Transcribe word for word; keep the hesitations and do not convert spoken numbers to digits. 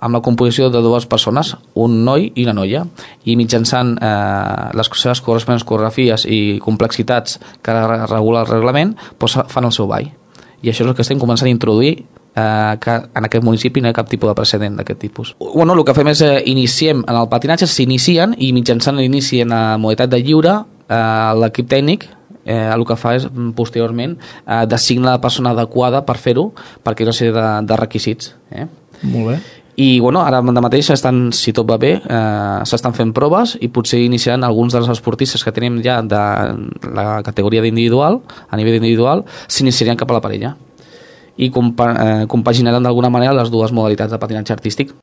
amb la composició de dues persones, un noi i una noia, i mitjançant eh, les seves corresponents coreografies i complexitats que regula el reglament, doncs fan el seu ball. I això és el que estem començant a introduir eh, que en aquest municipi no hi ha cap tipus de precedent d'aquest tipus. Bueno, el que fem és eh, iniciem en el patinatge, s'inicien i mitjançant l'inici en la modalitat de lliure, eh, l'equip tècnic eh, el que fa és posteriorment eh, designar la persona adequada per fer-ho, perquè hi ha una sèrie de, de requisits. Eh? Molt bé. I bueno, ara de mateix estan, si tot va bé, eh, s'estan fent proves i potser iniciaran alguns dels esportistes que tenim ja de la categoria d'individual, a nivell individual, s'iniciarien cap a la parella i compa eh, compaginaran d'alguna manera les dues modalitats de patinatge artístic.